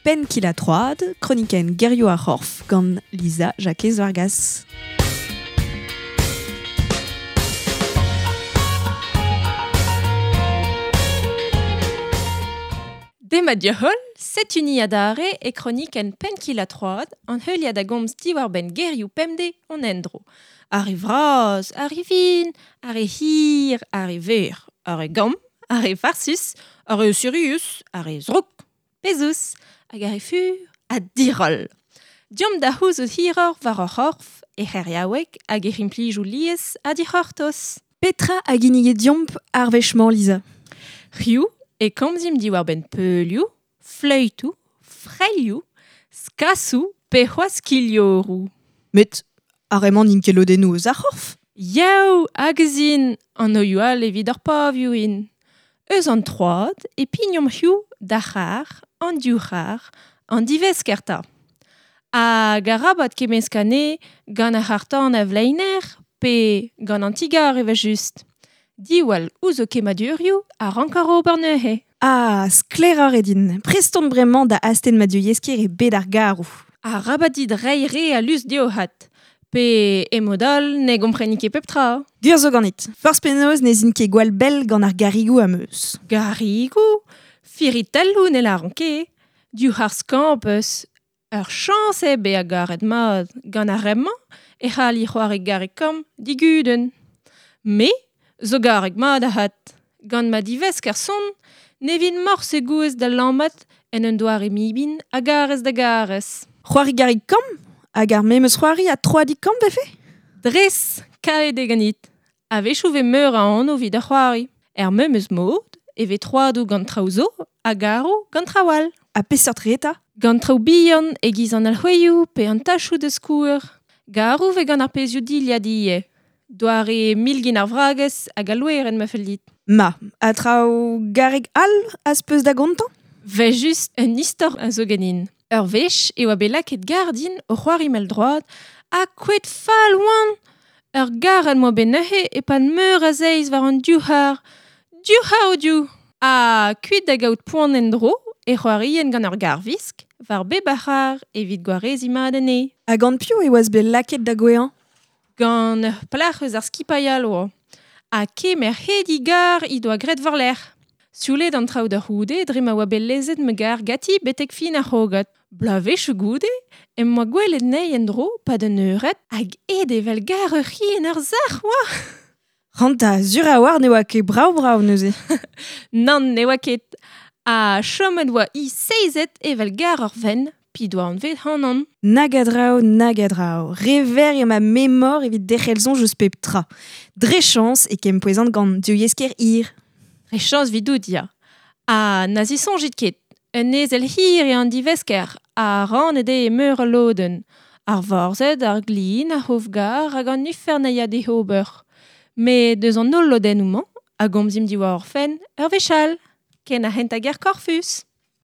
Penn kil ha troad, kronikenn gerioù ar c'horf gant Lisa Jakez Vargas. Demat deoc'h-holl, setu ni adarre e kronikenn Penn kil ha troad, an heuliad a gomz diwar-benn gerioù pemdez hon endro. Ar re vras, ar re vihan, ar re hir, ar re verr, ar re gamm, ar re farsus, ar re sirius, ar re zrouk, pezus, hag ar re fur ha diroll. Deomp da c'houzout hiroc'h war hor c'horf, e c'heriaoueg hag e implijoù lies ha dic'hortoz. Petra a ginnige deomp ar wech-mañ, Lisa? Hiziv e komzimp diwar-benn peulioù, fleütoù, freilhoù, skasoù pe c'hoazh kilhoroù. Met ar re-mañ n'int ket lodennoù eus ar c'horf. Yaou, hag ez int, an oioù all evit ar pavioù int. Eus an troad e pignomp hiziv d'ar c'har, an div c'har, an divesker 'ta. Hag arabat kemmeskañ anezhe gant ar c'harr-tan a vleiner pe gant an ti-gar evel-just. Diwall ouzh ho kemmadurioù a ranker ober neuze. Ah, sklaeroc'h eo din. Prest on bremañ da astenn ma diouyesker e bed ar garoù. Arabat dit reiñ re a lusk dezho-hat. Pe e mod all ne gompreni ket pep tra. Gwir zo ganit. Forzh penaos ne zin ket gwall bell gant ar garigoù am eus. Garigoù? Firitelloù ne lâran ket. Diouzh ar skañv 'peus. Ur chañs eo bezañ garet mat. Gant ar re-mañ e c'halli c'hoari garrig-kamm digudenn. Me zo garreg mat avat. Gant ma divesker sonn ne vin morse gouest da lammat en un doare mibin a garez da garez. C'hoari garrig-kamm? Hag ar memes c'hoari ha troadig-kamm 'vefe? Dres, kaeet eo ganit. A-wechoù 'vez meur a anv evit ar c'hoari. Er memes mod e vez troadoù gant traoù zo ha garoù gant traoù all. Ha peseurt re 'ta? Gant traoù bihan e-giz an alc'hwezioù pe an tachoù da skouer. Garoù 'vez gant ar pezhioù dilhad ivez. Doare milgin ar vragez hag al loerenn ma fell dit. Ma, ha traoù garreg all az peus da gontañ? 'Vel just un istor a zo ganin. Ur wech e oa bet lakaet gar din o c'hoari mell-droad ha kouezhet fall oan! Ur garrad 'moa bet neuze e-pad meur a zeiz war an div c'har. Div c'har o-div! Ha kuit da gaout poan en-dro e c'hoarien gant ur garvisk war bep a c'har evit gwareziñ mat anezhe. Ha gant piv e oas bet lakaet da gouezhañ? Gant ur plac'h eus ar skipailh all oa. Ha kemer he digar he doa graet war-lerc'h. Sioulet an traoù da c'houde dre ma oa bet lezet ma gar ganti betek fin ar c'hrogad. Bloavezhioù goude em boa gwelet anezhi en-dro 'pad un eured hag aet evel gar ur c'hi en ur sac'h oa. Ranta, sur a-walc'h ne oa ket brav-brav neuze. Nann, ne oa ket. Ha chomet oa hi seizet evel gar ur venn p'he doa anvet ac'hanon. Nag a draoù, nag a draoù. Re verr eo ma memor evit derc'hel soñj eus pep tra. Dre chañs e kempouezan gant divyezhker hir. Dre chañs 'vidout, ya. Ha na zisoñjit ket, un ezel hir eo an divesker ha rannet eo e meur a lodenn. Ar vorzhed, ar glin, ar c'hof-gar hag an ifern a ya d'he ober. Met eus an holl lodennoù-mañ, a gomzimp diwar hor fenn ur wech all, ken ar c'hentañ ger korfus.